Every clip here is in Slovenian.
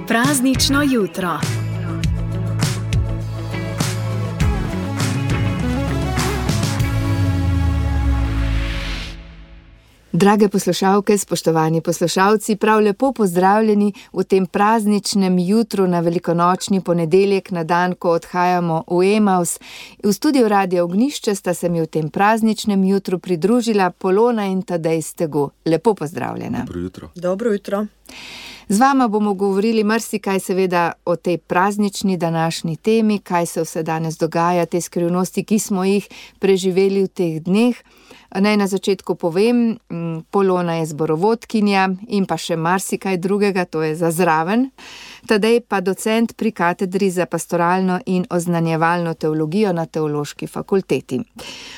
Praznično jutro. Drage poslušalke, spoštovani poslušalci, prav lepo pozdravljeni v tem prazničnem jutru na velikonočni ponedeljek, na dan, ko odhajamo v Emaus. V studiu Radia Ognjišče sta se mi v tem prazničnem jutru pridružila Polona in Tadej Stegu. Lepo pozdravljena. Dobro jutro. Dobro jutro. Z vama bomo govorili marsikaj seveda o tej praznični današnji temi, kaj se vse danes dogaja, te skrivnosti, ki smo jih preživeli v teh dneh. Naj na začetku povem, Polona je zborovodkinja in pa še marsikaj drugega, to je za zraven. Tadej pa docent pri katedri za pastoralno in oznanjevalno teologijo na Teološki fakulteti.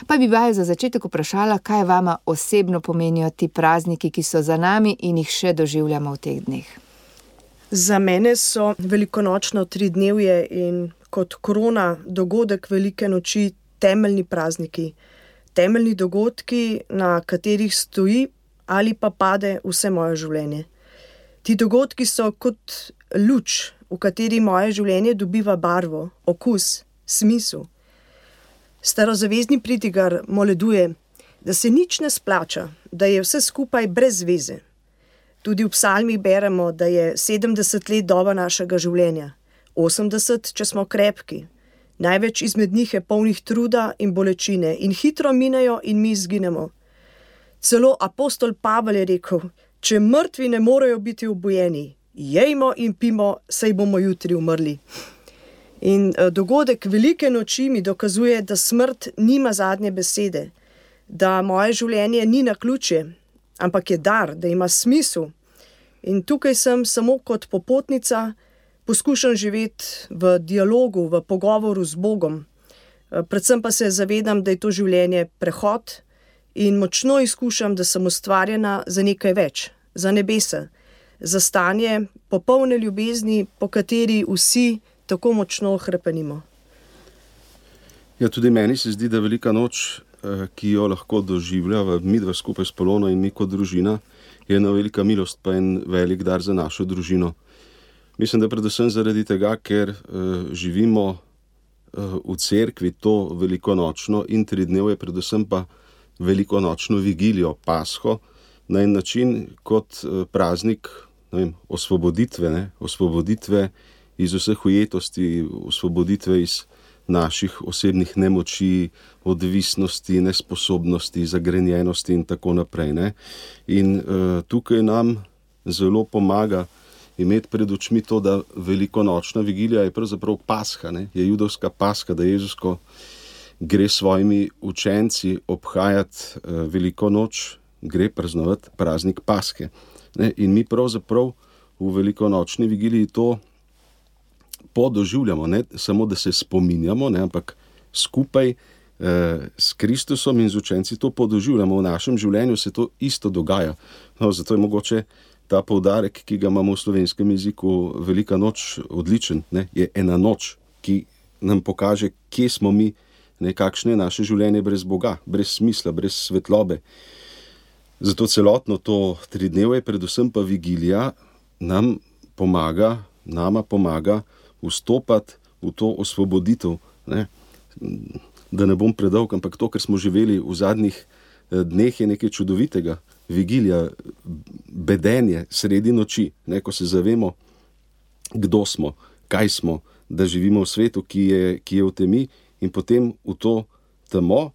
Pa bi vaju za začetek vprašala, kaj vama osebno pomenijo ti prazniki, ki so za nami in jih še doživljamo v teh dneh. Za mene so velikonočno tridnevje in kot krona dogodek velike noči temeljni prazniki. Temeljni dogodki, na katerih stoji ali pa pade vse moje življenje. Ti dogodki so kot luč, v kateri moje življenje dobiva barvo, okus, smisel. Starozavezni pridigar moleduje, da se nič ne splača, da je vse skupaj brez veze. Tudi v psalmih beremo, da je 70 let doba našega življenja, 80, če smo krepki. Največ izmed njih je polnih truda in bolečine in hitro minejo in mi izginemo. Celo apostol Pavel je rekel, če mrtvi ne morejo biti obojeni, jejmo in pimo, saj bomo jutri umrli. In dogodek velike noči mi dokazuje, da smrt nima zadnje besede, da moje življenje ni naključje, ampak je dar, da ima smisel. In tukaj sem samo kot popotnica, poskušam živeti v dialogu, v pogovoru z Bogom. Predvsem pa se zavedam, da je to življenje prehod in močno izkušam, da sem ustvarjena za nekaj več, za nebesa, za stanje popolne ljubezni, po kateri vsi tako močno hrepenimo. Ja, tudi meni se zdi, da velika noč, ki jo lahko doživljava midva skupaj s Polono in mi kot družina, je ena velika milost pa en velik dar za našo družino. Mislim, da predvsem zaradi tega, ker živimo v cerkvi to velikonočno in tridnevje, predvsem pa velikonočno vigilijo, Pasho, na en način kot praznik osvoboditve, osvoboditve iz vseh ujetosti, osvoboditve iz naših osebnih nemoči, odvisnosti, nesposobnosti, zagrenjenosti in tako naprej. Ne? In tukaj nam zelo pomaga imeti pred očmi to, da velikonočna vigilija je pravzaprav Pasha, je judovska Pasha, da Jezus, ko gre s svojimi učenci obhajati veliko noč, gre praznovati praznik Pashe. In mi pravzaprav v velikonočni vigiliji to podoživljamo, ne samo, da se spominjamo, ampak skupaj s Kristusom in z učenci to podoživljamo. V našem življenju se to isto dogaja. Zato je mogoče ta poudarek, ki ga imamo v slovenskem jeziku, velika noč, odličen, je ena noč, ki nam pokaže, kje smo mi, kakšno je naše življenje brez Boga, brez smisla, brez svetlobe. Zato celotno to tridnevje, predvsem pa vigilija, nama pomaga vstopati v to osvoboditev. Da ne bom predolg, ampak to, kar smo živeli v zadnjih dneh, je nekaj čudovitega. Vigilija, bedenje sredi noči, ko se zavemo, kdo smo, kaj smo, da živimo v svetu, ki je v temi, in potem v to temo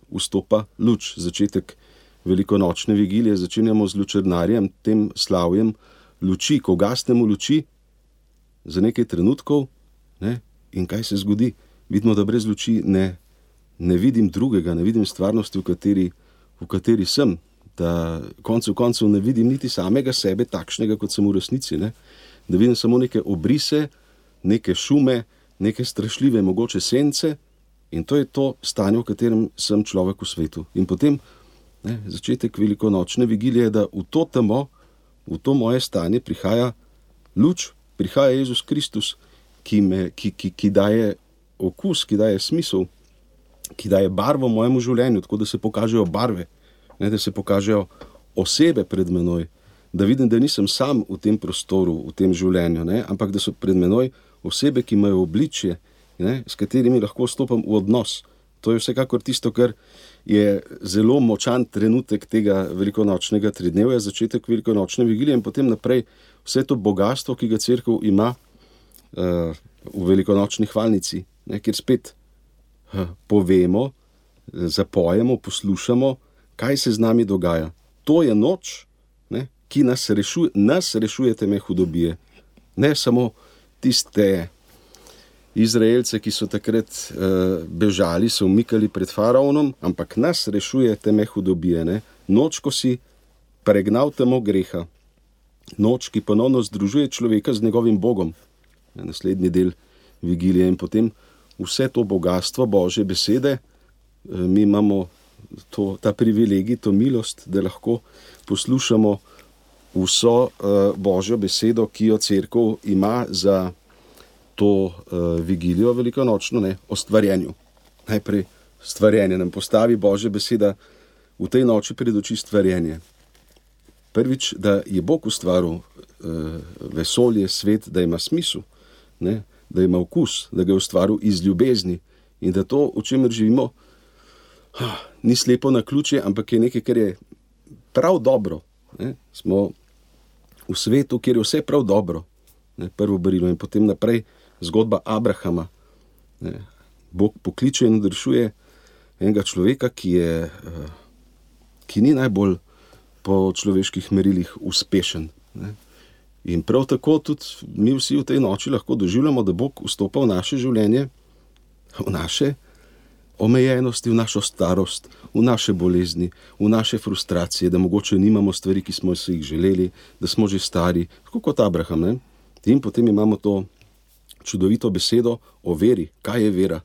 vstopa luč. Začetek velikonočne vigilije začenjamo z lučernarjem, tem slavjem luči, ko gasnemo luči za nekaj trenutkov, in kaj se zgodi? Vidimo, da brez luči ne vidim drugega, ne vidim stvarnosti, v kateri sem. Da koncev ne vidim niti samega sebe takšnega, kot sem v resnici. Da vidim samo neke obrise, neke šume, neke strašljive mogoče sence, in to je to stanje, v katerem sem človek v svetu. In potem začetek velikonočne vigilije, da v to temo, v to moje stanje prihaja luč, prihaja Jezus Kristus, ki daje okus, ki daje smisel, ki daje barvo mojemu življenju, tako da se pokažejo barve, da se pokažejo osebe pred menoj, da vidim, da nisem sam v tem prostoru, v tem življenju, ne? Ampak da so pred menoj osebe, ki imajo obličje, ne? S katerimi lahko stopam v odnos. To je vsekakor tisto, kar je zelo močan trenutek tega velikonočnega tridnevja, začetek velikonočne vigilije in potem naprej vse to bogastvo, ki ga cerkev ima v velikonočni hvalnici, ne, kjer spet povemo, zapojemo, poslušamo, kaj se z nami dogaja. To je noč, ne, ki nas rešuje teme hudobije. Ne samo tiste Izraelce, ki so takrat bežali, se umikali pred faraonom, ampak nas rešuje teme hudobije. Ne? Noč, ko si pregnal temo greha. Noč, ki ponovno združuje človeka z njegovim Bogom. Naslednji del vigilije in potem vse to bogatstvo Božje besede. Mi imamo ta privilegij, to milost, da lahko poslušamo vso Božjo besedo, ki jo cerkev ima za to vigilijo velikonočno, ne, o stvarjenju. Najprej stvarjenje nam postavi Božja beseda v tej noči pred oči stvarjenje. Prvič, da je Bog ustvaril vesolje, svet, da ima smisel, ne, da ima vkus, da ga je ustvaril iz ljubezni in da to, o čemer živimo, ni slepo naključje, ampak je nekaj, kar je prav dobro. Ne. Smo v svetu, kjer je vse prav dobro. Ne, prvo berilo in potem naprej zgodba Abrahama. Ne, Bog pokliče in odrešuje enega človeka, ki ni najbolj po človeških merilih uspešen. Ne. In prav tako tudi mi vsi v tej noči lahko doživljamo, da Bog vstopa v naše življenje, v naše omejenosti, v našo starost, v naše bolezni, v naše frustracije, da mogoče nimamo stvari, ki smo si jih želeli, da smo že stari, tako kot Abraham. Ne? In potem imamo to čudovito besedo o veri. Kaj je vera?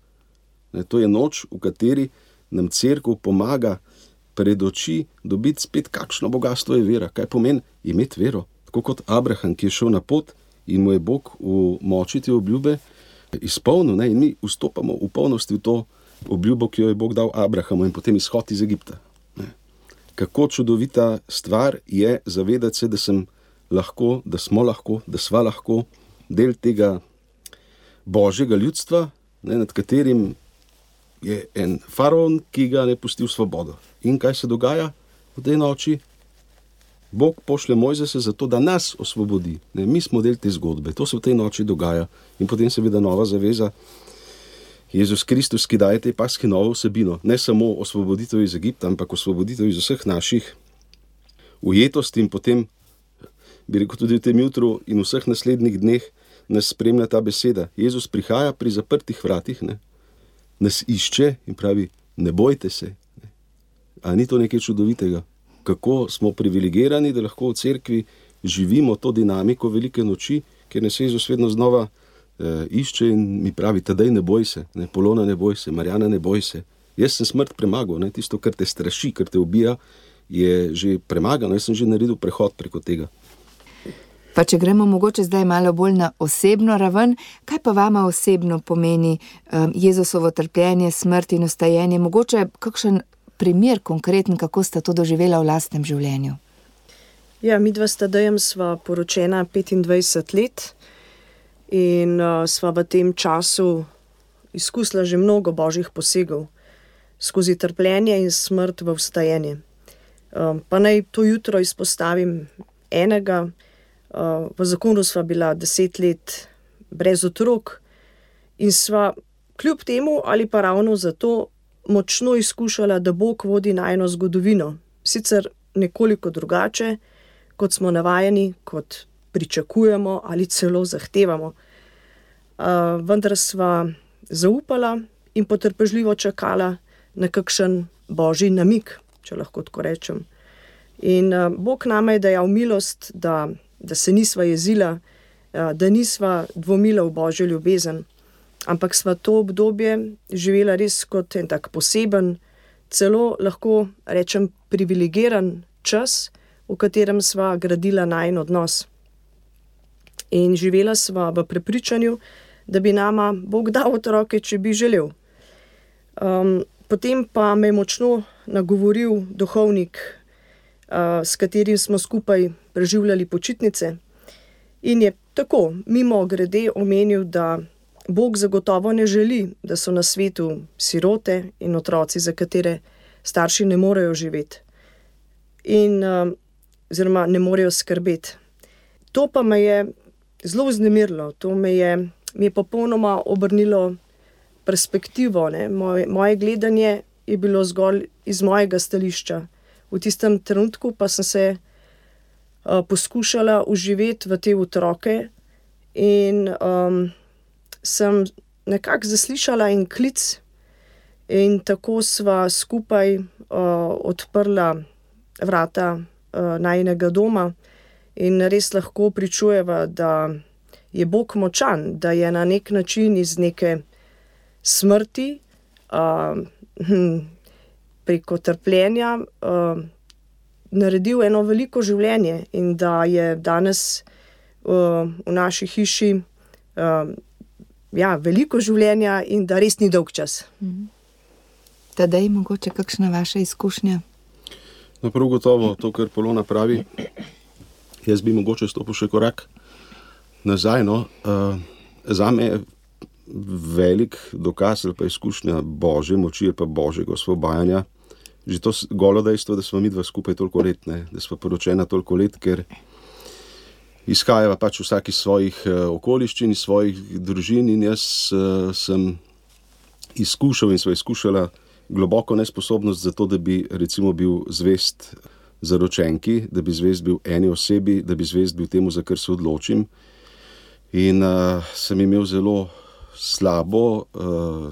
Ne, to je noč, v kateri nam cerkev pomaga pred oči dobiti spet, kakšno bogatstvo je vera. Kaj pomeni imeti vero? Tako kot Abraham, ki je šel na pot in mu je Bog v moči te obljube izpolnil. Ne? In mi vstopamo v polnosti v to obljubo, ki jo je Bog dal Abrahamu in potem izhod iz Egipta. Ne? Kako čudovita stvar je zavedati se, da sem lahko, da smo lahko, da sva lahko del tega Božjega ljudstva, ne, nad katerim je en faraon, ki ga ne pusti v svobodo. In kaj se dogaja v tej noči? Bog pošlje Mojzesa zato, da nas osvobodi. Ne, mi smo del te zgodbe. To se v tej noči dogaja. In potem seveda nova zaveza. Jezus Kristus, ki daje tej paski novo vsebino. Ne samo osvoboditev iz Egipta, ampak osvoboditev iz vseh naših ujetosti in potem, bi rekel, tudi v tem jutru in vseh naslednjih dneh nas spremlja ta beseda. Jezus prihaja pri zaprtih vratih, ne? Nas išče in pravi, ne bojte se. Ne? A ni to nekaj čudovitega? Kako smo privilegirani, da lahko v cerkvi živimo to dinamiko velike noči, kjer nas Jezus vedno znova išče in mi pravi, tadej ne boj se, ne? Polona ne boj se, Marjana ne boj se. Jaz sem smrt premagal, ne? Tisto, kar te straši, kar te ubija, je že premagano. Jaz sem že naredil prehod preko tega. Pa če gremo mogoče zdaj malo bolj na osebno raven, kaj pa vama osebno pomeni Jezusovo trpljenje, smrt in vstajenje? Mogoče kakšen primer konkreten, kako sta to doživela v lastnem življenju? Ja, midva s Tadejem sva poročena 25 let in sva v tem času izkusila že mnogo božjih posegov skozi trpljenje in smrt v vstajenje. Pa naj to jutro izpostavim enega. V zakonu sva bila 10 let brez otrok in sva kljub temu ali pa ravno zato močno izkušala, da Bog vodi najino zgodovino. Sicer nekoliko drugače, kot smo navajeni, kot pričakujemo ali celo zahtevamo. Vendar sva zaupala in potrpežljivo čakala na kakšen božji namig, če lahko tako rečem. In Bog nama je dajal milost, da se nisva jezila, da nisva dvomila v božjo ljubezen, ampak sva to obdobje živela res kot en tak poseben, celo lahko rečem privilegiran čas, v katerem sva gradila najin odnos. In živela sva v prepričanju, da bi nama Bog dal otroke, če bi želel. Potem pa me je močno nagovoril duhovnik s katerim smo skupaj preživljali počitnice. In je tako mimo grede omenil, da Bog zagotovo ne želi, da so na svetu sirote in otroci, za katere starši ne morejo živeti in oziroma ne morejo skrbeti. To pa me je zelo vznemirilo, to mi je popolnoma obrnilo perspektivo, ne. Moje gledanje je bilo zgolj iz mojega stališča. V tistem trenutku pa sem se poskušala vživeti v te otroke in sem nekako zaslišala en klic in tako sva skupaj odprla vrata najinega doma in res lahko pričujeva, da je Bog močan, da je na nek način iz neke smrti preko trpljenja naredil eno veliko življenje in da je danes v naši hiši veliko življenja in da res ni dolg čas. Tadej, mogoče kakšna vaša izkušnja? No, prav gotovo to, kar Polona pravi. Jaz bi mogoče stopil še korak nazaj. Zame je velik dokaz ali pa izkušnja Božje moči ali pa Božjega osvobajanja že to golo dejstvo, da smo midva skupaj toliko let, ne? Da smo poročena toliko let, ker izhajava pač vsak iz svojih okoliščin, iz svojih družin in jaz sem izkušal in sva izkušala globoko nesposobnost za to, da bi recimo bil zvest zaročenki, da bi zvest bil eni osebi, da bi zvest bil temu, za kar se odločim. In sem imel zelo slabo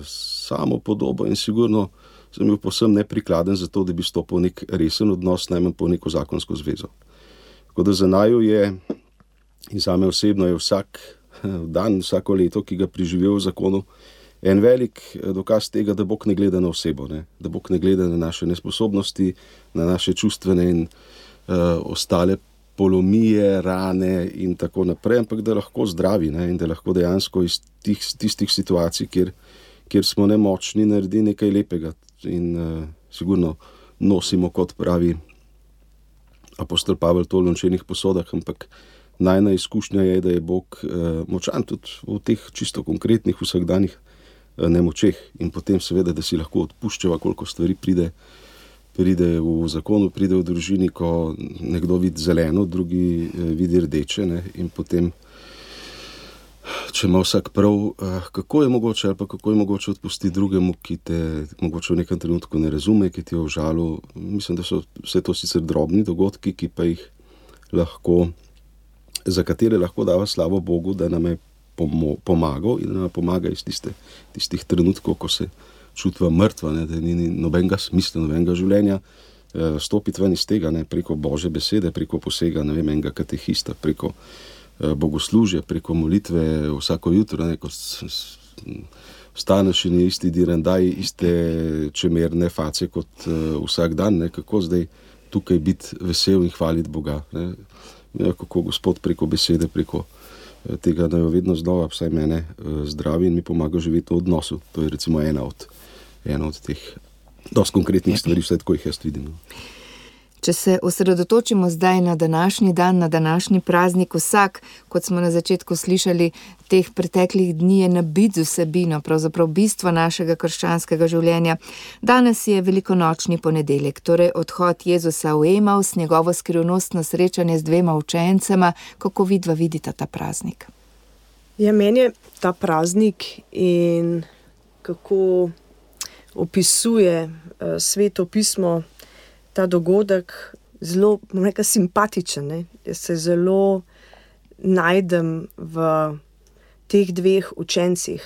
samopodobo in sigurno sem bil povsem neprikladen za to, da bi stopil nek resen odnos, najmanj po neko zakonsko zvezo. Tako da za naju je, in zame osebno je vsak dan, vsako leto, ki ga preživel v zakonu, en velik dokaz tega, da Bog ne gleda na osebo, ne? Da Bog ne gleda na naše nesposobnosti, na naše čustvene in ostale polomije, rane in tako naprej, ampak da lahko zdravi, ne? In da lahko dejansko iz tistih situacij, kjer smo nemočni, naredi nekaj lepega. In sigurno nosimo, kot pravi apostol Pavel, to v lončenih posodah, ampak najna izkušnja je, da je Bog močan tudi v teh čisto konkretnih vsakdanjih nemočeh in potem seveda, da si lahko odpuščava, koliko stvari pride v zakonu, pride v družini, ko nekdo vidi zeleno, drugi vidi rdeče, ne? In potem, če ima vsak prav, kako je mogoče odpustiti drugemu, ki te mogoče v nekem trenutku ne razume, ki ti je užalil. Mislim, da so vse to sicer drobni dogodki, ki pa jih lahko, za katere lahko dava slavo Bogu, da nam je pomagal in da nam pomaga iz tistih trenutkov, ko se čutva mrtva, ne, da ni nobenega smisla, nobenega življenja, stopiti ven iz tega, ne, preko Božje besede, preko posega, ne vem, enega katehista, preko bogoslužja, preko molitve vsako jutro, ne, ko vstaneš in je isti direndaj, iste čemerne face kot vsak dan, ne, kako zdaj tukaj biti vesel in hvaliti Boga, ne, kako Gospod preko besede, preko tega, da jo vedno znova, vsaj mene, zdravi in mi pomaga živeti v odnosu. To je recimo ena od teh dosti konkretnih stvari, vsaj tako jih jaz vidim. Če se osredotočimo zdaj na današnji dan, na današnji praznik, vsak, kot smo na začetku slišali, teh preteklih dni je nabit z vsebino, pravzaprav bistvo našega krščanskega življenja. Danes je velikonočni ponedeljek, torej odhod Jezusa v Emaus, njegovo skrivnostno srečanje z 2 učencema. Kako vidva vidita ta praznik? Ja, meni je ta praznik in kako opisuje Sveto pismo ta dogodek zelo, simpatičen, ne? Jaz se zelo najdem v teh 2 učencih.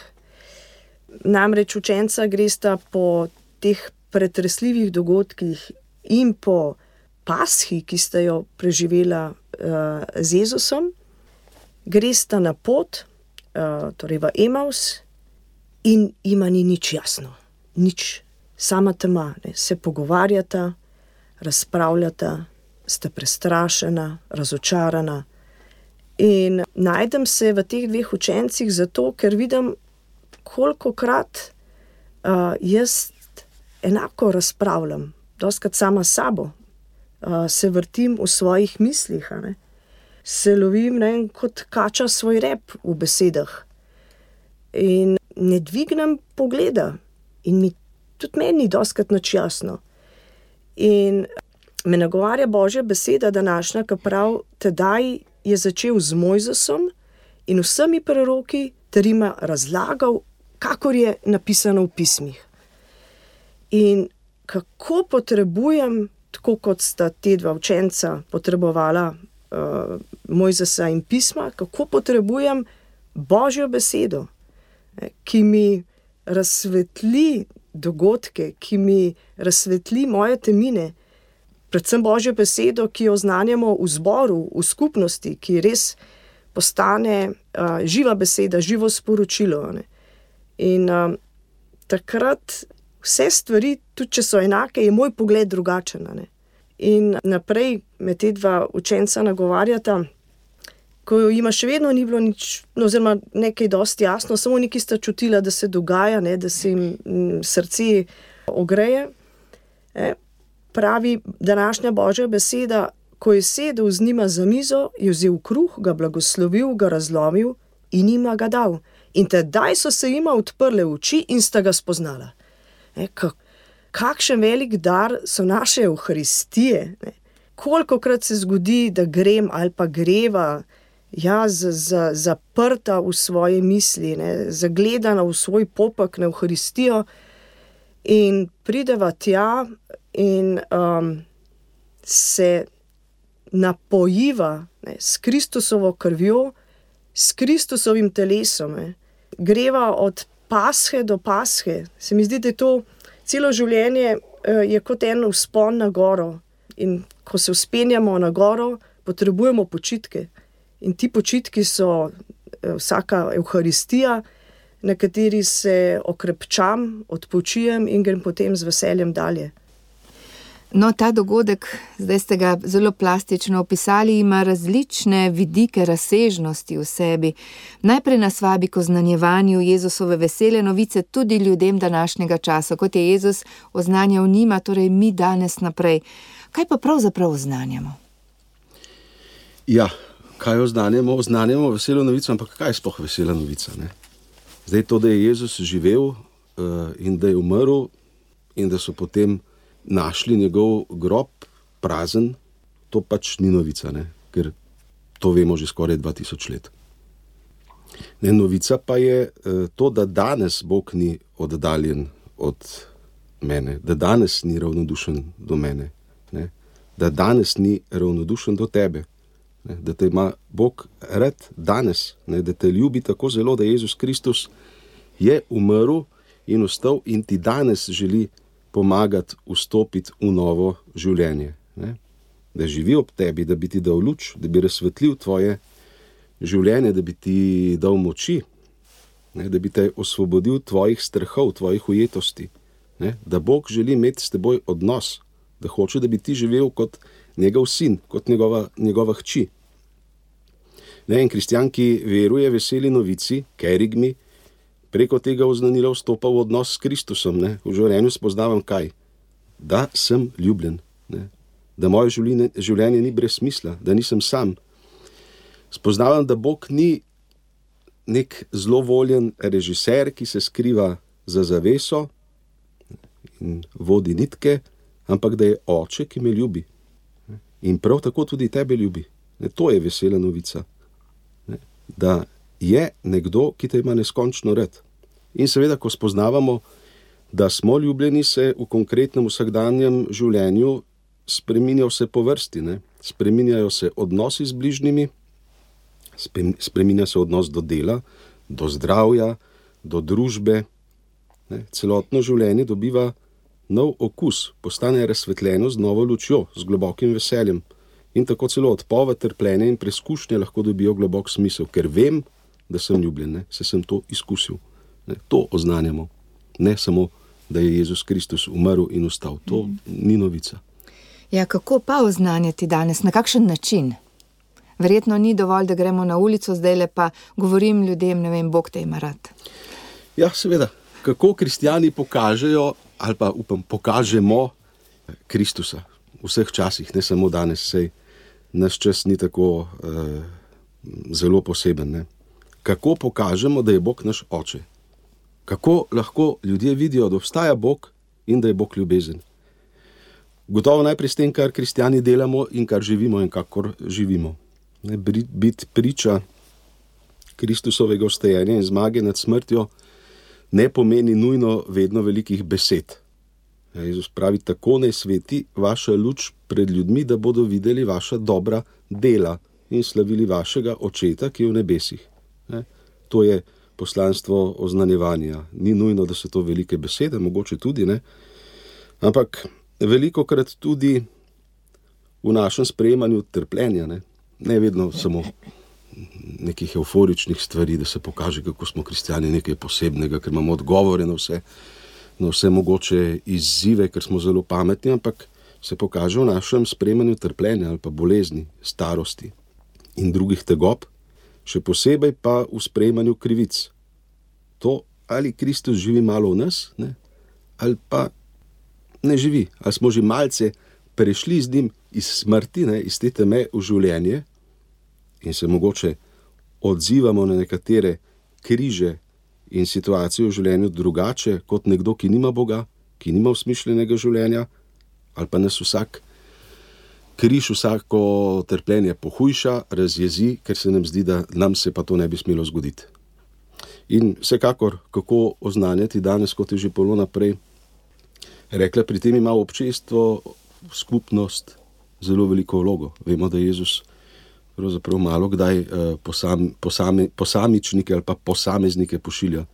Namreč učenca gresta po teh pretresljivih dogodkih in po Paschi, ki sta jo preživela z Jezusom, gresta na pot, torej v Emaus, in jima ni nič jasno. Nič, sama tema, ne? Se pogovarjata, razpravljata, sta prestrašena, razočarana. In najdem se v teh 2 učencih zato, ker vidim, kolikokrat jaz enako razpravljam, dostikrat sama s sabo. se vrtim v svojih mislih, a ne. Se lovim, ne, kot kača svoj rep v besedah. In ne dvignem pogleda. In tudi meni ni dostikrat nič jasno. In me nagovarja Božja beseda današnja, ki pravi, tedaj je začel z Mojzesom in vsemi preroki ter jima razlagal, kakor je napisano v pismih. In kako potrebujem, tako kot sta te dva učenca potrebovala Mojzesa in pisma, kako potrebujem Božjo besedo, ki mi razsvetli dogodke, ki mi razsvetli moje temine, predvsem Božjo besedo, ki jo oznanjamo v zboru, v skupnosti, ki res postane živa beseda, živo sporočilo. Ne. In takrat vse stvari, tudi če so enake, je moj pogled drugačen. Ne. In naprej me te dva učenca nagovarjata, ko jima še vedno ni bilo nič, oziroma nekaj dosti jasno, samo nekaj sta čutila, da se dogaja, ne, da se jim srce ogreje. Pravi današnja Božja beseda, ko je sedel z njima za mizo, je vzel kruh, ga blagoslovil, ga razlomil in jima ga dal. In tedaj so se jima odprle oči in sta ga spoznala. Kakšen velik dar so naše Evharistije. Kolikokrat se zgodi, da grem ali pa greva, zaprta v svoje misli, zagledana v svoj popek na Evharistijo in prideva tja in se napojiva s Kristusovo krvjo, s Kristusovim telesom. Greva od pashe do pashe. Se mi zdi, da je to celo življenje je kot en vzpon na goro. In ko se vzpenjamo na goro, potrebujemo počitke. In ti počitki so vsaka Evharistija, na kateri se okrepčam, odpočijem in grem potem z veseljem dalje. No, ta dogodek, zdaj ste ga zelo plastično opisali, ima različne vidike, razsežnosti v sebi. Najprej nas vabi k oznanjevanju Jezusove vesele novice tudi ljudem današnjega časa, kot je Jezus oznanjal njima, torej mi danes naprej. Kaj pa pravzaprav oznanjamo? Ja, kaj oznanjamo? Oznanjamo veselo novico, ampak kaj je sploh vesela novica? Ne? Zdaj to, da je Jezus živel in da je umrl in da so potem našli njegov grob prazen, to pač ni novica, ne? Ker to vemo že skoraj 2000 let. Ne, novica pa je to, da danes Bog ni oddaljen od mene, da danes ni ravnodušen do mene, ne? Da danes ni ravnodušen do tebe, ne? Da te ima Bog rad danes, ne? Da te ljubi tako zelo, da Jezus Kristus je umrl in vstal in ti danes želi pomagati vstopiti v novo življenje. Ne? Da živi ob tebi, da bi ti dal luč, da bi razsvetlil tvoje življenje, da bi ti dal moči, ne? Da bi te osvobodil tvojih strahov, tvojih ujetosti. Ne? Da Bog želi imeti s teboj odnos, da hoče, da bi ti živel kot njegov sin, kot njegova hči. Ne? In kristjan, ki veruje veseli novici, kerigmi, preko tega oznanila vstopa v odnos s Kristusom. Ne? V življenju spoznavam kaj? Da sem ljubljen. Ne? Da moje življenje ni brez smisla, da nisem sam. Spoznavam, da Bog ni nek zlovoljen režiser, ki se skriva za zaveso in vodi nitke, ampak da je oče, ki me ljubi. In prav tako tudi tebe ljubi. Ne? To je vesela novica. Ne? Da je nekdo, ki te ima neskončno rad. In seveda, ko spoznavamo, da smo ljubljeni, se v konkretnem vsakdanjem življenju spreminja vse po vrsti. Ne? Spreminjajo se odnosi z bližnjimi, spreminja se odnos do dela, do zdravja, do družbe. Ne? Celotno življenje dobiva nov okus, postane razsvetljeno z novo lučjo, z globokim veseljem. In tako celo odpoved, trpljenje in preskušnje lahko dobijo globok smisel, ker vem, da sem ljubljen, ne? Se sem to izkusil. Ne? To oznanjamo. Ne samo, da je Jezus Kristus umrl in vstal. To ni novica. Ja, kako pa oznanjati danes? Na kakšen način? Verjetno ni dovolj, da gremo na ulico, zdajle pa govorim ljudem, ne vem, Bog te ima rad. Ja, seveda. Kako kristjani pokažejo, ali pa pokažemo Kristusa. vseh časih, ne samo danes, sej naš čas ni tako zelo poseben. Ne? Kako pokažemo, da je Bog naš oče? Kako lahko ljudje vidijo, da obstaja Bog in da je Bog ljubezen? Gotovo najprej s tem, kar kristjani delamo in kar živimo in kakor živimo. Biti priča Kristusovega vstajenja in zmage nad smrtjo ne pomeni nujno vedno velikih besed. Jezus pravi, tako naj sveti vaša luč pred ljudmi, da bodo videli vaša dobra dela in slavili vašega očeta, ki je v nebesih. To je poslanstvo oznanjevanja. Ni nujno, da so to velike besede, mogoče tudi, ne? Ampak velikokrat tudi v našem sprejemanju trpljenja, ne vedno samo nekih euforičnih stvari, da se pokaže, kako smo kristjani nekaj posebnega, ker imamo odgovore na vse mogoče izzive, ker smo zelo pametni, ampak se pokaže v našem sprejemanju trpljenja ali pa bolezni, starosti in drugih tegob, še posebej pa v sprejemanju krivic. To, ali Kristus živi malo v nas, ne? Ali pa ne živi, ali smo že malce prešli z njim iz smrti, iz te teme v življenje in se mogoče odzivamo na nekatere križe in situacije v življenju drugače kot nekdo, ki nima Boga, ki nima usmišljenega življenja, ali pa nas vsak križ, vsako trpljenje pohujša, razjezi, ker se nam zdi, da nam se pa to ne bi smelo zgoditi. In vsekakor, kako oznanjati danes, kot je že Polona prej rekla, pri tem ima občestvo, skupnost zelo veliko vlogo. Vemo, da Jezus pravzaprav malo kdaj posamičnike ali pa posameznike pošilja.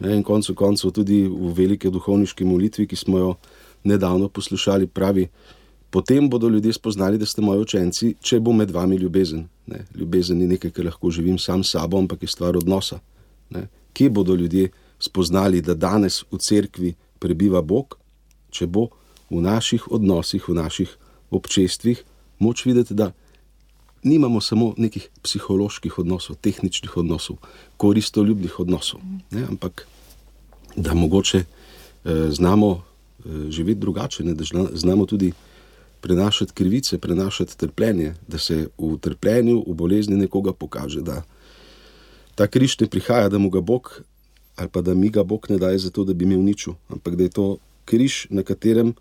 In koncu tudi v velike duhovniški molitvi, ki smo jo nedavno poslušali, pravi, potem bodo ljudje spoznali, da ste moji učenci, če bo med vami ljubezen. Ljubezen ni nekaj, kar lahko živim sam s sabo, ampak je stvar odnosa. Kje bodo ljudje spoznali, da danes v cerkvi prebiva Bog, če bo v naših odnosih, v naših občestvih moč videti, da nimamo samo nekih psiholoških odnosov, tehničnih odnosov, koristoljubnih odnosov, ampak da mogoče znamo živeti drugače, da znamo tudi prenašati krivice, prenašati trpljenje, da se v trpljenju, v bolezni nekoga pokaže, da ta križ ne prihaja, da mu ga Bog ali pa da mi ga Bog ne daje zato, da bi me uničil, ampak da je to križ, na katerem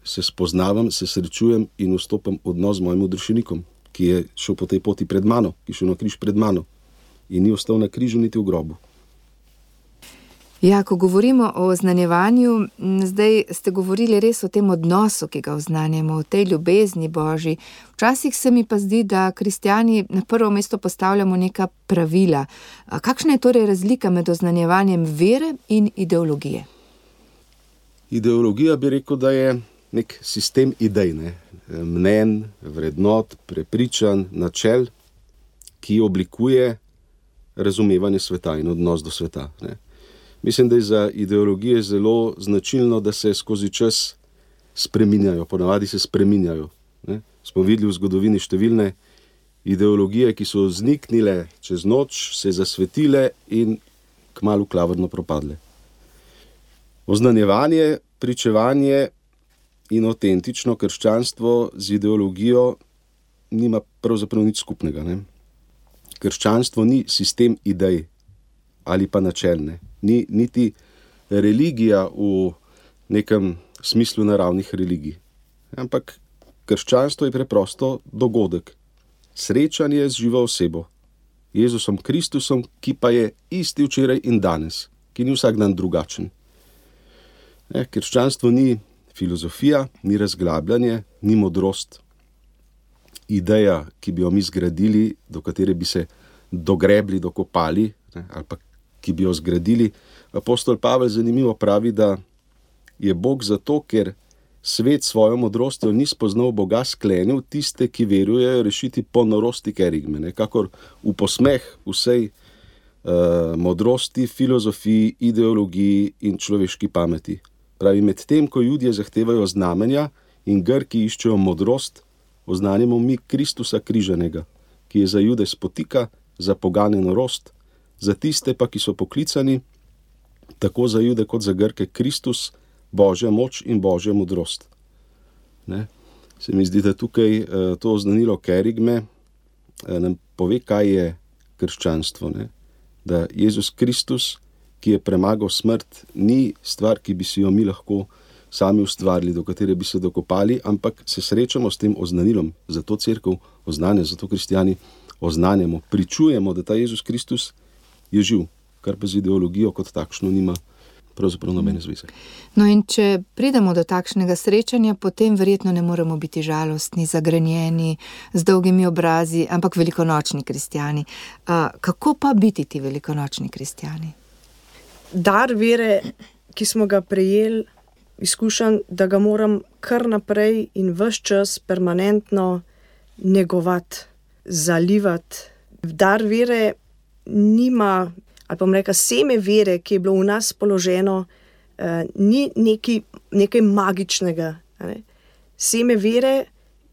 se spoznavam, se srečujem in vstopam v odnos z mojim odrešenikom, ki je šel po tej poti pred mano, ki je šel na križ pred mano in ni ostal na križu niti v grobu. Ja, ko govorimo o oznanjevanju, zdaj ste govorili res o tem odnosu, ki ga oznanjamo, o tej ljubezni Božji. Včasih se mi pa zdi, da kristjani na prvo mesto postavljamo neka pravila. Kakšna je torej razlika med oznanjevanjem vere in ideologije? Ideologija bi rekel, da je nek sistem idej, mnenj, vrednot, prepričanj, načel, ki oblikuje razumevanje sveta in odnos do sveta. Mislim, da je za ideologije zelo značilno, da se skozi čas spreminjajo, ponavadi se spreminjajo. Smo videli v zgodovini številne ideologije, ki so vzniknile čez noč, se zasvetile in kmalu klavrno propadle. Oznanjevanje, pričevanje in avtentično krščanstvo z ideologijo nima pravzaprav nič skupnega. Krščanstvo ni sistem idej ali pa načelne. Ni niti religija v nekem smislu naravnih religij. Ampak krščanstvo je preprosto dogodek. Srečanje z živo osebo, Jezusom Kristusom, ki pa je isti včeraj in danes, ki ni vsak dan drugačen. Krščanstvo ni filozofija, ni razglabljanje, ni modrost. Ideja, ki bi jo mi zgradili, do katere bi se dogrebli, dokopali, ali pa ki bi jo zgradili. Apostol Pavel zanimivo pravi, da je Bog zato, ker svet svojo modrostjo ni spoznal Boga, sklenil tiste, ki verujejo, rešiti po norosti kerigme, kakor v posmeh vsej modrosti, filozofiji, ideologiji in človeški pameti. Pravi, med tem, ko Judje zahtevajo znamenja in Grki iščejo modrost, oznanjamo mi Kristusa križanega, ki je za Jude spotika, za pogane norost, za tiste pa, ki so poklicani, tako za Jude kot za Grke, Kristus, Božja moč in Božja modrost. Se mi zdi, da tukaj to oznanilo kerigme nam pove, kaj je krščanstvo. Ne? Da Jezus Kristus, ki je premagal smrt, ni stvar, ki bi si jo mi lahko sami ustvarili, do katere bi se dokopali, ampak se srečamo s tem oznanilom. Zato cerkev oznanja, zato kristijani oznanjamo, pričujemo, da ta Jezus Kristus je živ, kar pa z ideologijo kot takšno nima pravzaprav nobene zveze. No in če pridemo do takšnega srečanja, potem verjetno ne moremo biti žalostni, zagrenjeni, z dolgimi obrazi, ampak velikonočni kristjani. Kako pa biti ti velikonočni kristjani? Dar vere, ki smo ga prejeli, izkušam, da ga moram kar naprej in ves čas permanentno negovati, zalivati. Dar vere nima, ali pa bom rekla, seme vere, ki je bilo v nas položeno, ni nekaj magičnega. Ne? Seme vere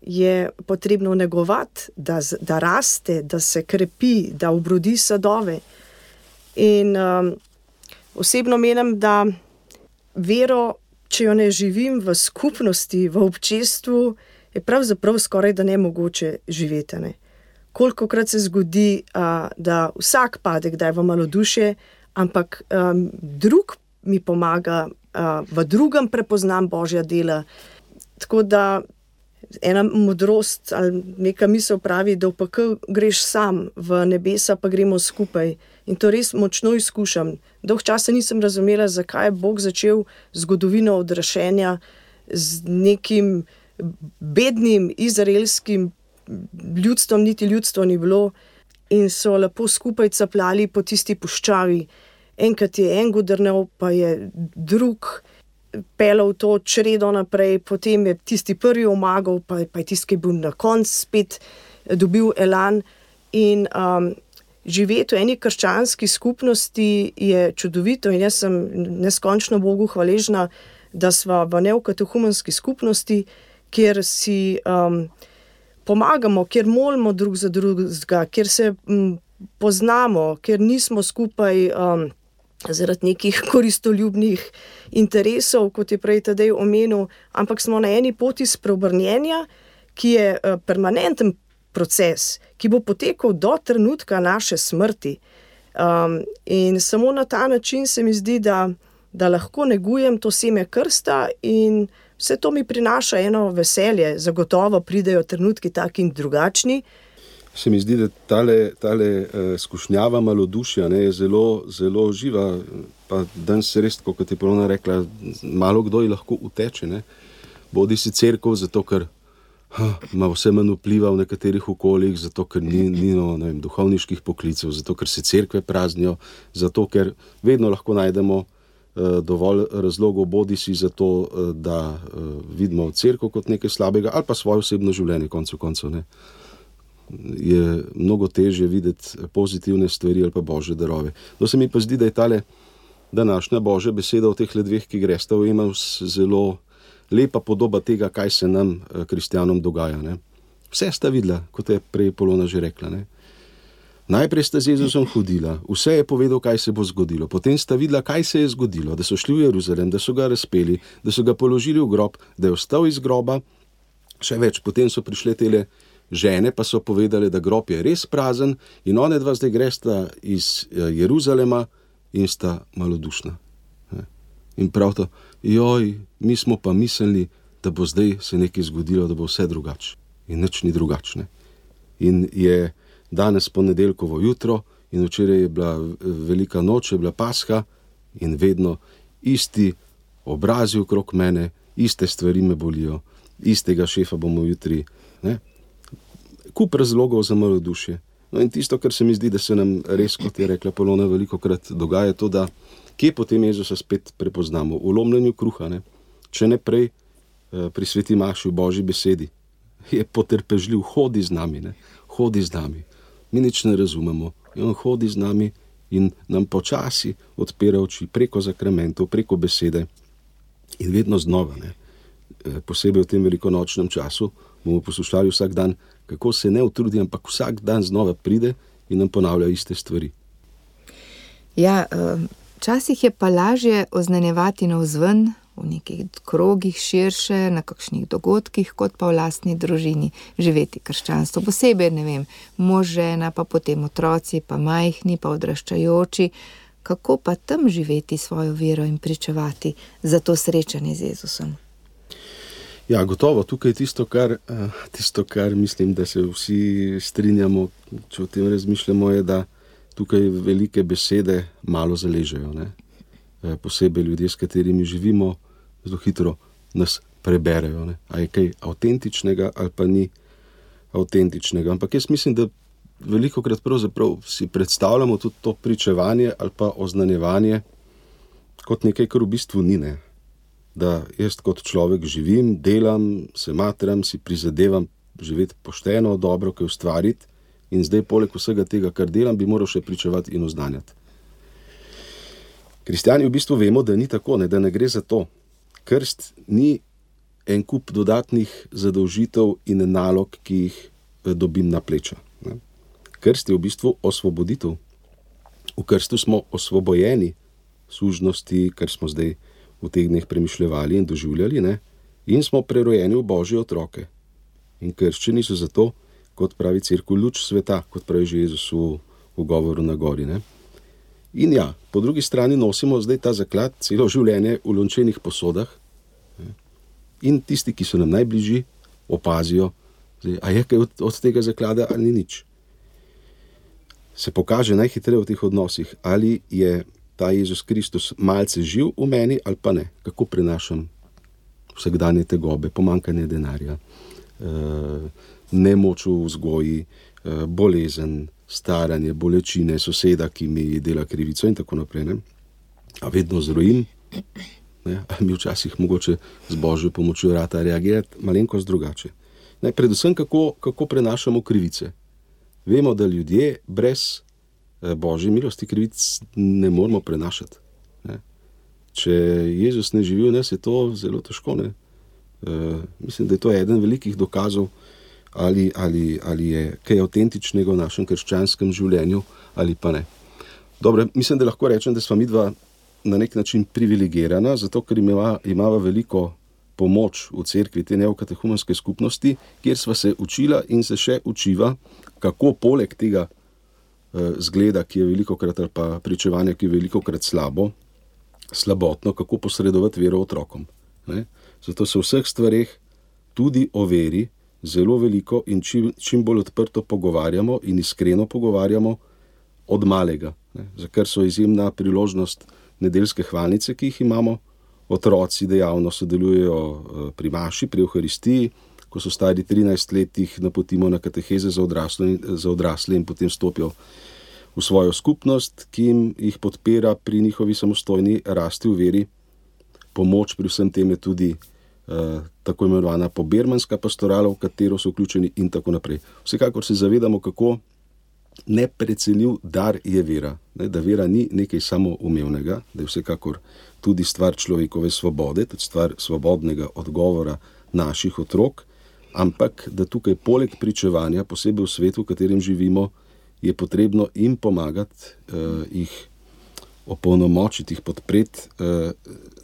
je potrebno negovati, da raste, da se krepi, da obrodi sadove. In osebno menim, da vero, če jo ne živim v skupnosti, v občestvu, je pravzaprav skoraj da nemogoče živeti. Ne? Kolikokrat se zgodi, da vsak pade kdaj v malodušje, ampak drug mi pomaga, v drugem prepoznam Božja dela. Tako da ena modrost ali neka misel pravi, da v pekel greš sam, v nebesa pa gremo skupaj. In to res močno izkušam. Dolgo časa nisem razumela, zakaj je Bog začel zgodovino odrešenja z nekim bednim izraelskim ljudstvom, niti ljudstvo ni bilo, in so lepo skupaj capljali po tisti puščavi. Enkrat je en godrnel, pa je drug pelal to čredo naprej, potem je tisti prvi omagal, pa je tisti, ki je bil na koncu spet dobil elan. In živeti v eni krščanski skupnosti je čudovito in jaz sem neskončno Bogu hvaležna, da sva v neokatehumenski skupnosti, kjer si pomagamo, kjer molimo drug za drugega, kjer se poznamo, kjer nismo skupaj zaradi nekih koristoljubnih interesov, kot je prej Tadej omenil, ampak smo na eni poti spreobrnjenja, ki je permanenten proces, ki bo potekal do trenutka naše smrti. In samo na ta način se mi zdi, da lahko negujem to seme krsta in vse to mi prinaša eno veselje. Zagotovo pridejo trenutki taki in drugačni. Se mi zdi, da tale skušnjava malodušja je zelo, zelo živa. Pa danes res, kot je Polona rekla, malo kdo ji lahko uteče. Ne? Bodi si cerkev, zato ker ima vse manj vpliva v nekaterih okoljih, zato ker ni duhovniških poklicev, zato ker se cerkve praznijo, zato ker vedno lahko najdemo dovolj razlogov, bodi si za to, da vidimo cerkev kot nekaj slabega, ali pa svoje osebno življenje, koncev koncev. Ne. Je mnogo težje videti pozitivne stvari ali pa Božje darove. No, se mi pa zdi, da je tale današnja Božja beseda v teh dveh, ki gresta v Emaus, zelo lepa podoba tega, kaj se nam, kristjanom, dogaja. Ne. Vse sta videla, kot je prej Polona že rekla. Ne. Najprej sta z Jezusom hodila, vse je povedal, kaj se bo zgodilo. Potem sta videla, kaj se je zgodilo, da so šli v Jeruzalem, da so ga razpeli, da so ga položili v grob, da je vstal iz groba. Še več, potem so prišle tele žene, pa so povedali, da grob je res prazen in one dva zdaj gresta iz Jeruzalema in sta malodušna. In prav to, mi smo pa mislili, da bo zdaj se nekaj zgodilo, da bo vse drugače. In nič ni drugačne. In je danes ponedeljkovo jutro in včeraj je bila velika noč, je bila Pasha in vedno isti obrazi okrog mene, iste stvari me bolijo, istega šefa bomo jutri. Ne? Kup razlogov za malodušje. No in tisto, kar se mi zdi, da se nam res, kot je rekla Polona, velikokrat dogaja to, da kje potem Jezusa spet prepoznamo? V lomljenju kruha, ne? Če ne prej pri sveti maši v Božji besedi. Je potrpežljiv, hodi z nami, ne? Hodi z nami. Mi nič ne razumemo. In on hodi z nami in nam počasi odpira oči preko zakramentov, preko besede. In vedno znova, ne? Posebej v tem velikonočnem času, bomo poslušali vsak dan, kako se ne utrudi, ampak vsak dan znova pride in nam ponavlja iste stvari. Ja, včasih je pa lažje oznanjevati navzven, v nekih krogih širše, na kakšnih dogodkih, kot pa v lastni družini živeti krščanstvo. Posebej, ne vem, mož, žena, pa potem otroci, pa majhni, pa odraščajoči. Kako pa tam živeti svojo vero in pričevati za to srečanje z Jezusom? Ja, gotovo, tukaj je tisto, kar mislim, da se vsi strinjamo, če o tem razmišljamo, je, da tukaj velike besede malo zaležejo, ne? Posebej ljudje, s katerimi živimo, zelo hitro nas preberejo, ne? A je kaj avtentičnega ali pa ni avtentičnega. Ampak jaz mislim, da velikokrat pravzaprav si predstavljamo tudi to pričevanje ali pa oznanjevanje kot nekaj, kar v bistvu ni, ne? Da jaz kot človek živim, delam, se matram, si prizadevam živeti pošteno, dobro, kaj ustvariti in zdaj poleg vsega tega, kar delam, bi moral še pričevati in oznanjati. Kristjani v bistvu vemo, da ni tako, ne, da ne gre za to. Krst ni en kup dodatnih zadolžitev in nalog, ki jih dobim na pleča. Ne. Krst je v bistvu osvoboditev. V krstu smo osvobojeni sužnosti, kar smo zdaj v teh dneh premišljevali in doživljali, ne, in smo prerojeni v Božje otroke. In krščeni so zato, kot pravi cerkev, luč sveta, kot pravi že Jezus v govoru na gori. Ne. In ja, po drugi strani nosimo zdaj ta zaklad celo življenje v lončenih posodah, ne. In tisti, ki so nam najbližji, opazijo, zdaj, a je kaj od tega zaklada ali ni nič. Se pokaže najhitreje v teh odnosih, ali je ta Jezus Kristus malce živ v meni ali pa ne. Kako prenašam vsakdanje tegobe, pomanjkanje denarja, nemoč v vzgoji, bolezen, staranje, bolečine, soseda, ki mi dela krivico in tako naprej. Ne? A vedno zrojim, ne? A mi včasih mogoče z Božjo pomočjo rata reagirati malenkost drugače. Ne? Predvsem, kako prenašamo krivice. Vemo, da ljudje brez Božje milosti krivic ne moramo prenašati. Ne? Če Jezus ne živi v nas, je to zelo težko. Ne? Mislim, da je to eden velikih dokazov, ali je kaj avtentičnega v našem krščanskem življenju ali pa ne. Dobro, mislim, da lahko rečem, da sva midva na nek način privilegirana, zato ker imava veliko pomoč v cerkvi, te neokatehumenske skupnosti, kjer sva se učila in se še učiva, kako poleg tega zgleda, ki je velikokrat, ali pa pričevanja, ki je velikokrat slabotno, kako posredovati vero otrokom. Ne? Zato se v vseh stvareh tudi o veri zelo veliko in čim bolj odprto pogovarjamo in iskreno pogovarjamo od malega. Ne? Za kar so izjemna priložnost nedeljske hvalnice, ki jih imamo. Otroci dejavno sodelujejo pri maši, pri Evharistiji. Ko so stari 13 let, jih napotimo na kateheze za odrasle in potem stopijo v svojo skupnost, ki jih podpira pri njihovi samostojni rasti v veri. Pomoč pri vsem tem je tudi tako imenovana pobermanska pastorala, v katero so vključeni in tako naprej. Vsekakor se zavedamo, kako neprecenljiv dar je vera. Ne, da vera ni nekaj samoumevnega, da je vsekakor tudi stvar človekove svobode, tudi stvar svobodnega odgovora naših otrok, ampak da tukaj poleg pričevanja, posebej v svetu, v katerem živimo, je potrebno jim pomagati, jih opolnomočiti, jih podpreti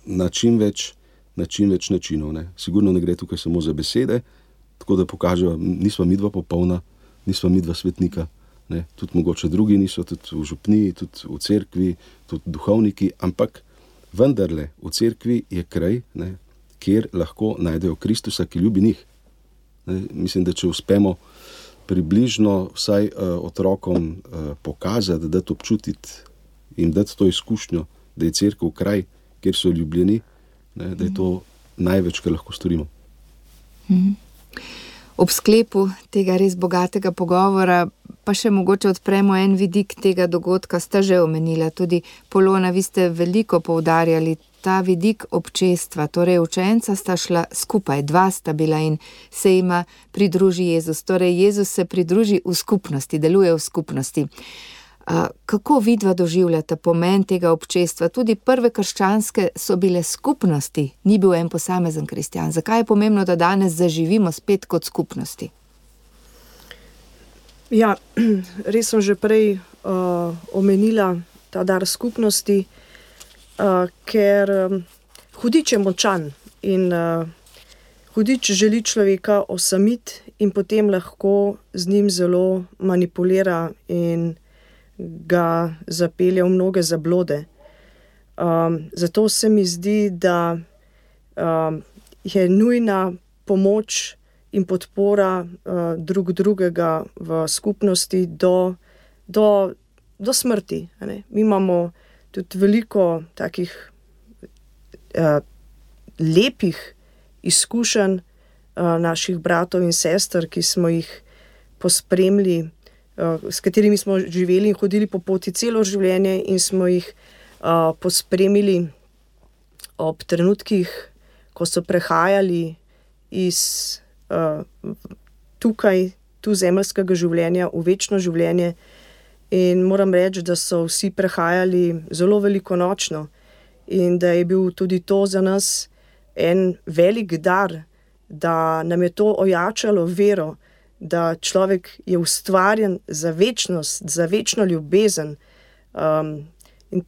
na čim več načinov. Ne. Sigurno ne gre tukaj samo za besede, tako da pokažejo, nisva midva popolna, nisva midva svetnika, ne. Tudi mogoče drugi niso, tudi v župniji, tudi v cerkvi, tudi duhovniki, ampak vendarle v cerkvi je kraj, ne, kjer lahko najdejo Kristusa, ki ljubi njih. Ne. Mislim, da če uspemo približno vsaj otrokom pokazati, dati občutiti in dati to izkušnjo, da je cerkev kraj, kjer so ljubljeni, ne, da je to največ, kar lahko storimo. Ob sklepu tega res bogatega pogovora pa še mogoče odpremo en vidik tega dogodka, sta že omenila tudi Polona, vi ste veliko poudarjali ta vidik občestva, torej učenca sta šla skupaj, dva sta bila in se jima pridruži Jezus, torej Jezus se pridruži v skupnosti, deluje v skupnosti. Kako vidva doživljata pomen tega občestva? Tudi prve krščanske so bile skupnosti, ni bil en posamezen kristjan. Zakaj je pomembno, da danes zaživimo spet kot skupnosti? Ja, res sem že prej omenila ta dar skupnosti, ker hudič je močan in hudič želi človeka osamiti in potem lahko z njim zelo manipulira in ga zapelje v mnoge zablode. Zato se mi zdi, da je nujna pomoč in podpora drug drugega v skupnosti do smrti. Ne? Mi imamo tudi veliko takih lepih izkušenj naših bratov in sester, ki smo jih pospremili, s katerimi smo živeli in hodili po poti celo življenje in smo jih pospremili ob trenutkih, ko so prehajali iz tu zemeljskega življenja v večno življenje. In moram reči, da so vsi prehajali zelo velikonočno in da je bil tudi to za nas en velik dar, da nam je to ojačalo vero, da človek je ustvarjen za večnost, za večno ljubezen. In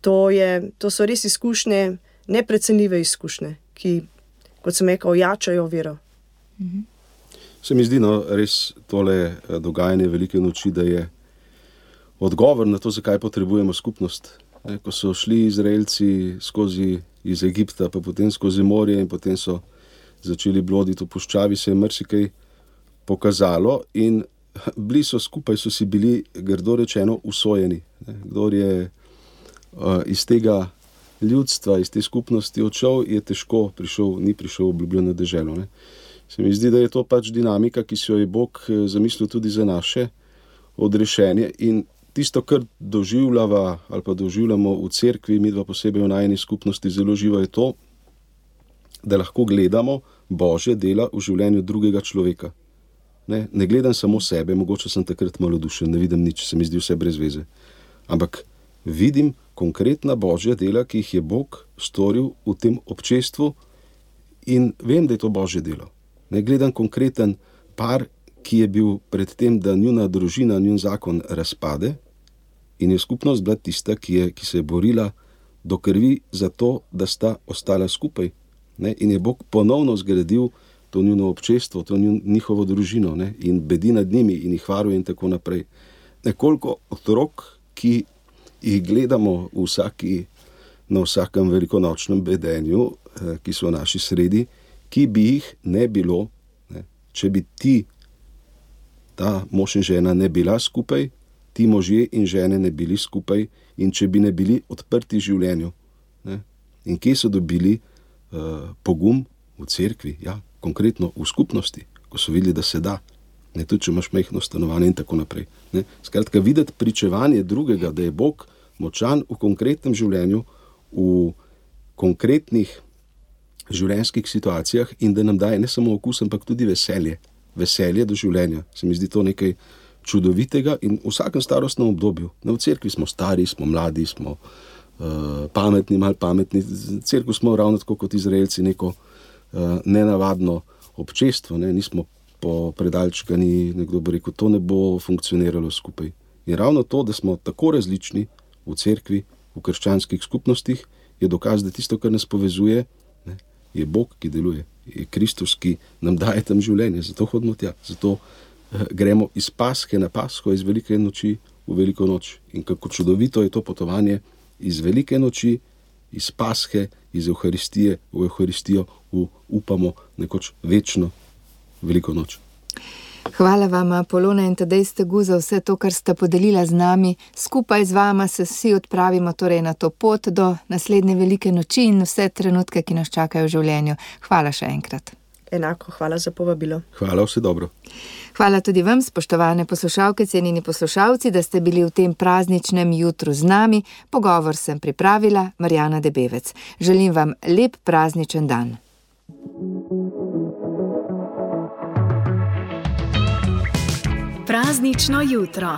to so res izkušnje, neprecenljive izkušnje, ki, kot sem rekel, ojačajo vero. Se mi zdi, res tole dogajanje velike noči, da je odgovor na to, zakaj potrebujemo skupnost. Ko so šli Izraelci iz Egipta, pa potem skozi morje in potem so začeli bloditi v puščavi, se je marsikaj pokazalo in bili so skupaj, so si bili, grdo rečeno, usojeni. Kdor je iz tega ljudstva, iz te skupnosti odšel, je težko ni prišel v obljubljeno deželo. Se mi zdi, da je to pač dinamika, ki si jo je Bog zamislil tudi za naše odrešenje in tisto, kar doživljava ali pa doživljamo v cerkvi, midva posebej v najini skupnosti zelo živo, je to, da lahko gledamo Božje dela v življenju drugega človeka. Ne gledam samo sebe, mogoče sem takrat malodušen, ne vidim nič, se mi zdi vse brez veze. Ampak vidim konkretna Božja dela, ki jih je Bog storil v tem občestvu in vem, da je to Božje delo. Ne gledam konkreten par, ki je bil pred tem, da njuna družina, njun zakon razpade in je skupnost bila tista, ki se je borila do krvi za to, da sta ostala skupaj. In je Bog ponovno zgradil to njuno občestvo, to njihovo družino in bedi nad njimi in jih varuje in tako naprej. Nekoliko otrok, ki jih gledamo na vsakem velikonočnem bedenju, ki so v naši sredi, ki bi jih ne bilo, če bi ta mož in žena ne bila skupaj, ti možje in žene ne bili skupaj in če bi ne bili odprti življenju. In kje so dobili pogum? V cerkvi, konkretno v skupnosti, ko so videli, da se da. Tudi če imaš majhno stanovanje in tako naprej. Skratka, videti pričevanje drugega, da je Bog močan v konkretnem življenju, v konkretnih življenjskih situacijah in da nam daje ne samo okus, ampak tudi veselje do življenja. Se mi zdi to nekaj čudovitega in v vsakem starostnem obdobju. V cerkvi smo stari, smo mladi, smo pametni, malo pametni. V cerkvi smo ravno tako kot Izraelci neko nenavadno občestvo, nismo predalčkani, nekdo bo rekel, to ne bo funkcioniralo skupaj. In ravno to, da smo tako različni v cerkvi, v krščanskih skupnostih, je dokaz, da tisto, kar nas povezuje, je Bog, ki deluje, je Kristus, ki nam daje tam življenje, zato hodimo tja, zato gremo iz Paske na Pasko, iz velike noči v veliko noč. In kako čudovito je to potovanje iz velike noči, iz Paske, iz Evharistije v Evharistijo, upamo, nekoč večno veliko noč. Hvala vama, Polona in Tadej Stegu, za vse to, kar sta podelila z nami. Skupaj z vama se vsi odpravimo torej na to pot do naslednje velike noči in vse trenutke, ki nas čakajo v življenju. Hvala še enkrat. Enako, hvala za povabilo. Hvala, vse dobro. Hvala tudi vam, spoštovane poslušalke, cenjeni poslušalci, da ste bili v tem prazničnem jutru z nami. Pogovor sem pripravila Marjana Debevec. Želim vam lep prazničen dan. Praznično jutro.